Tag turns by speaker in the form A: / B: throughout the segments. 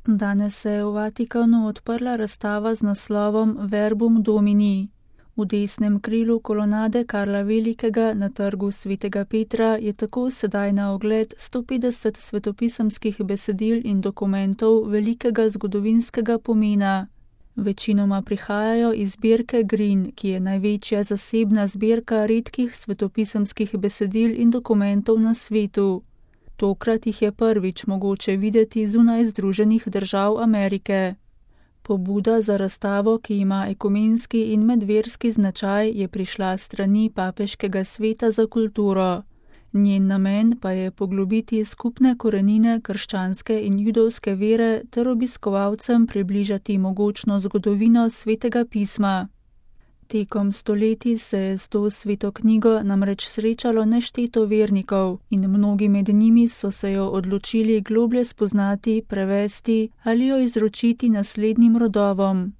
A: Danes se je v Vatikanu odprla razstava z naslovom Verbum Domini. V desnem krilu kolonade Karla Velikega na trgu Svetega Petra je tako sedaj na ogled 150 svetopisemskih besedil in dokumentov velikega zgodovinskega pomena. Večinoma prihajajo iz zbirke Green, ki je največja zasebna zbirka redkih svetopisemskih besedil in dokumentov na svetu. Tokrat jih je prvič mogoče videti zunaj Združenih držav Amerike. Pobuda za razstavo, ki ima ekumenski in medverski značaj, je prišla s strani Papeškega sveta za kulturo. Njen namen pa je poglobiti skupne korenine krščanske in judovske vere ter obiskovalcem približati mogočno zgodovino Svetega pisma. Tekom stoletij se je s to sveto knjigo namreč srečalo nešteto vernikov in mnogi med njimi so se jo odločili globlje spoznati, prevesti ali jo izročiti naslednjim rodovom.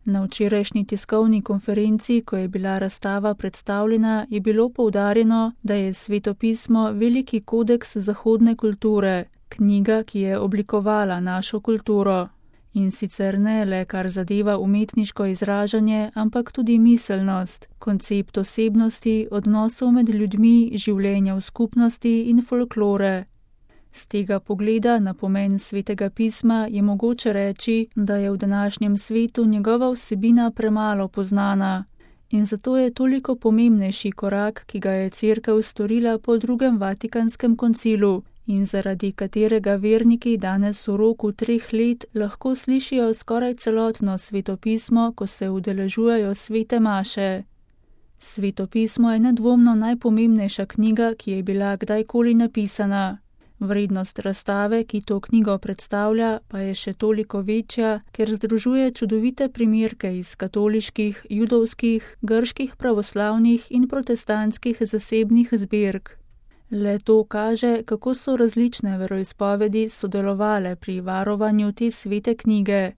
A: Na včerajšnji tiskovni konferenci, ko je bila razstava predstavljena, je bilo poudarjeno, da je Sveto pismo veliki kodeks zahodne kulture, knjiga, ki je oblikovala našo kulturo. In sicer ne le kar zadeva umetniško izražanje, ampak tudi miselnost, koncept osebnosti, odnosov med ljudmi, življenja v skupnosti in folklore. Z tega pogleda na pomen Svetega pisma je mogoče reči, da je v današnjem svetu njegova vsebina premalo poznana. In zato je toliko pomembnejši korak, ki ga je Cerkev storila po drugem Vatikanskem koncilu, in zaradi katerega verniki danes v roku 3 let lahko slišijo skoraj celotno Sveto pismo, ko se udeležujejo svete maše. Sveto pismo je nedvomno najpomembnejša knjiga, ki je bila kdajkoli napisana. Vrednost razstave, ki to knjigo predstavlja, pa je še toliko večja, ker združuje čudovite primerke iz katoliških, judovskih, grških pravoslavnih in protestantskih zasebnih zbirk. Le to kaže, kako so različne veroizpovedi sodelovale pri varovanju te svete knjige.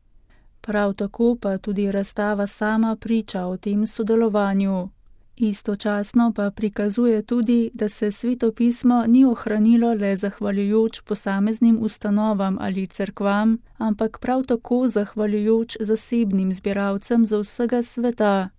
A: Prav tako pa tudi razstava sama priča o tem sodelovanju. Istočasno pa prikazuje tudi, da se Sveto pismo ni ohranilo le zahvaljujoč posameznim ustanovam ali cerkvam, ampak prav tako zahvaljujoč zasebnim zbiralcem z vsega sveta.